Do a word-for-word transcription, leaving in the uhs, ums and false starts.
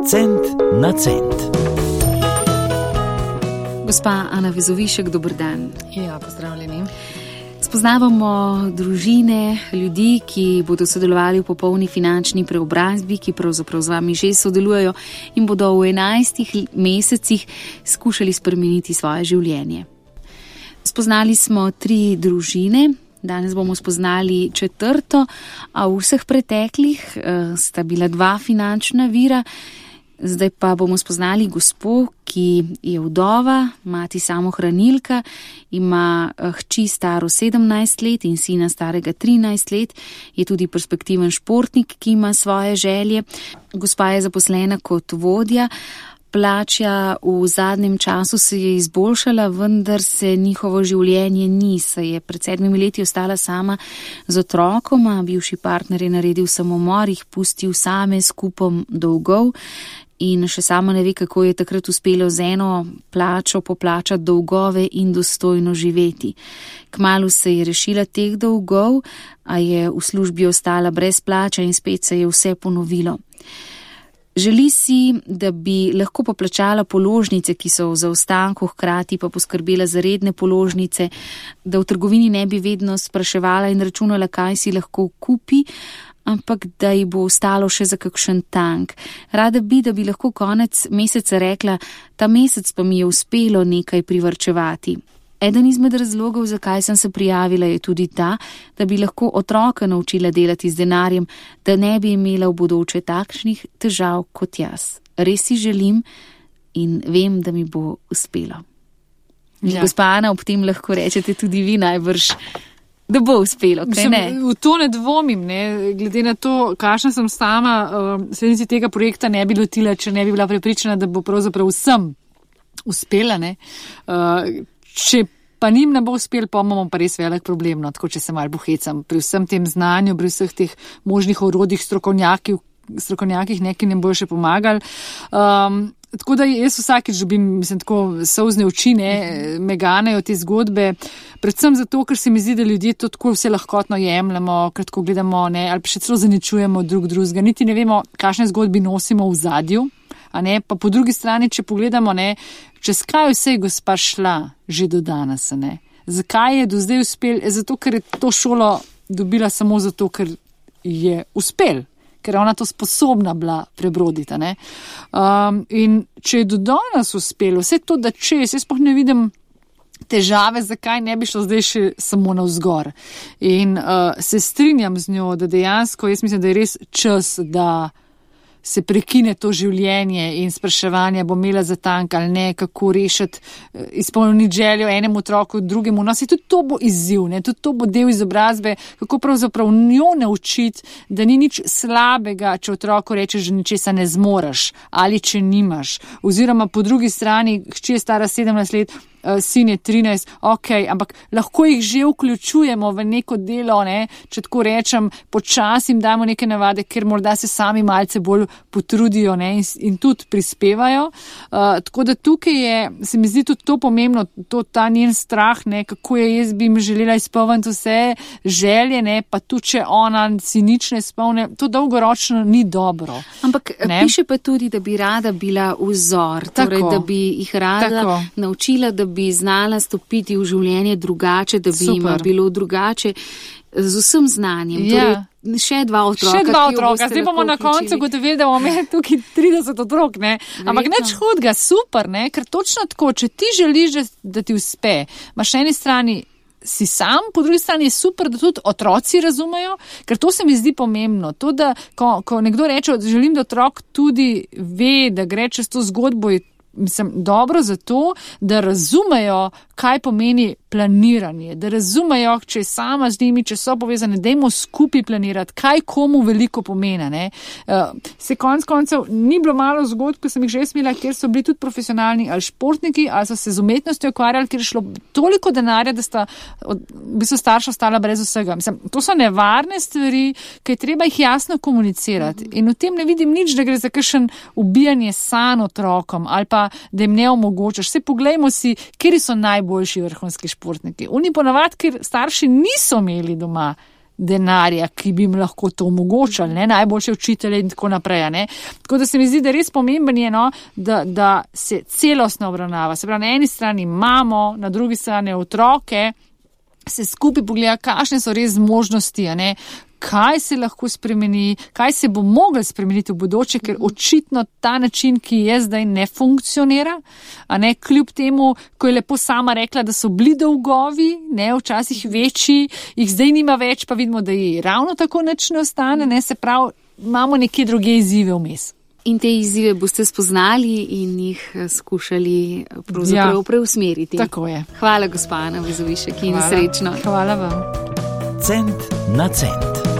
Cent na cent. Gospa Ana Vezovišek, dober dan. Ja, pozdravljeni. Spoznavamo družine, ljudi, ki bodo sodelovali v popolni finančni preobrazbi, ki pravzaprav z vami že sodelujejo in bodo v enajstih mesecih skušali spremeniti svoje življenje. Spoznali smo tri družine, danes bomo spoznali četrto, a v vseh preteklih uh, sta bila dva finančna vira. Zdaj pa bomo spoznali gospo, ki je vdova, mati samohranilka, ima hči staro sedemnajst let in sina starega trinajst let, je tudi perspektiven športnik, ki ima svoje želje. Gospa je zaposlena kot vodja, plača v zadnjem času se je izboljšala, vendar se njihovo življenje ni, se je pred sedmimi leti ostala sama z otrokoma, bivši partner je naredil samomor, jih pustil same s kupom dolgov. In še sama ne ve, kako je takrat uspelo z eno plačo poplačati dolgove in dostojno živeti. Kmalu se je rešila teh dolgov, a je v službi ostala brez plača in spet se je vse ponovilo. Želi si, da bi lahko poplačala položnice, ki so v zaostanku, hkrati pa poskrbela za redne položnice, da v trgovini ne bi vedno spraševala in računala, kaj si lahko kupi, ampak da ji bo ostalo še za kakšen tank. Rada bi, da bi lahko konec meseca rekla, ta mesec pa mi je uspelo nekaj privarčevati. Eden izmed razlogov, zakaj sem se prijavila, je tudi ta, da bi lahko otroka naučila delati z denarjem, da ne bi imela v bodoče takšnih težav kot jaz. Res si želim in vem, da mi bo uspelo. Ja. Gospa Ana, ob tem lahko rečete tudi vi najbrž, da bo uspelo, kaj ne? V to ne dvomim, ne, glede na to, kakšna sem sama, uh, slednici tega projekta ne bi lotila, če ne bi bila prepričana, da bo pravzaprav vsem uspela, ne. Uh, če pa njim ne bo uspel, pa imamo pa res velik problem, no, tako če se malo bohecam, pri vsem tem znanju, pri vseh teh možnih orodjih strokovnjakih, strokovnjakih neki ne bojo še pomagali. Um, Tako da jaz vsakič dobim, mislim, tako solzne oči, ne, me ganejo te zgodbe, predvsem zato, ker se mi zdi, da ljudje to tako vse lahkotno jemljemo, ker tako gledamo, ne, ali pa še celo zaničujemo drug drugega, niti ne vemo, kakšne zgodbi nosimo v zadju, a ne, pa po drugi strani, če pogledamo, ne, čez kaj vse je gospa šla že do danes, ne, zakaj je do zdaj uspel, zato, ker je to šolo dobila samo zato, ker je uspel. Ker je ona to sposobna bila prebroditi. Ne? Um, in če je do danes uspelo, vse to, da čez, jaz pa ne vidim težave, zakaj ne bi šlo zdaj še samo navzgor. In uh, se strinjam z njo, da dejansko, jaz mislim, da je res čas, da se prekine to življenje in spraševanje, bo imela za tank ali ne, kako rešiti, izpolniti željo enemu otroku, drugemu. No, se tudi to bo izziv, ne, tudi to bo del izobrazbe, kako pravzaprav njo naučiti, da ni nič slabega, če otroku rečeš, že ničesa ne zmoreš ali če nimaš. Oziroma po drugi strani, hči je stara sedemnajst let, sin je trinajst, ok, ampak lahko jih že vključujemo v neko delo, ne, če tako rečem, počasi jim damo neke navade, ker morda se sami malce bolj potrudijo, ne, in, in tudi prispevajo. Uh, tako da tukaj je, se mi zdi tudi to pomembno, to ta njen strah, ne, kako je jaz bi jim želela izpolniti vse želje, ne, pa tudi če ona si nič ne izpolne, to dolgoročno ni dobro. Ampak ne? Piše pa tudi, da bi rada bila vzor, torej, da bi jih rada tako naučila, da bi znala stopiti v življenje drugače, da bi jim bilo drugače z vsem znanjem. Ja. Torej, še dva otroka. Še dva otroka. Zdaj bomo na koncu gotovili, da bomo imeli tukaj trideset otrok, ne. Ampak nič hudega, super, ne, ker točno tako, če ti želiš, da ti uspe, imaš na eni strani si sam, po drugi strani je super, da tudi otroci razumejo, ker to se mi zdi pomembno. To, da ko, ko nekdo reče, želim, da otrok tudi ve, da gre čez to zgodbo, je mislim, dobro zato, da razumejo, kaj pomeni planiranje, da razumejo, če je sama z njimi, če so povezane, dajmo skupaj planirati, kaj komu veliko pomeni. Ne? Uh, se konc koncev ni bilo malo zgodb, ko sem jih že smela, kjer so bili tudi profesionalni ali športniki, ali so se z umetnostjo ukvarjali, kjer je šlo toliko denarja, da sta od, v bistvu starša ostala brez vsega. Mislim, to so nevarne stvari, ki je treba jih jasno komunicirati. In v tem ne vidim nič, da gre za kakšen ubijanje sanj otrokom ali pa, da jim ne omogočaš. Vse poglejmo si, kjer so najboljši vrhunski športniki. Oni ponavadi, ker starši niso imeli doma denarja, ki bi jim lahko to omogočali, ne, najboljše učitelje in tako naprej, ne. Tako da se mi zdi, da res pomemben je, no, da, da se celostno obravnava. Se pravi, na eni strani imamo, na drugi strani otroke, se skupaj pogleda, kakšne so res možnosti, a ne, kaj se lahko spremeni, kaj se bo moglo spremeniti v bodoče, ker očitno ta način, ki je zdaj, ne funkcionira, a ne, kljub temu, ko je lepo sama rekla, da so bili dolgovi, ne, včasih večji, jih zdaj nima več, pa vidimo, da ji ravno tako nič ne ostane, ne, se pravi, imamo neke druge izzive vmes. In te izzive boste spoznali in jih skušali pravzaprav ja, preusmeriti. Tako je. Hvala, gospa Ana Vezovišek, in srečno. Hvala vam. Cent na cent.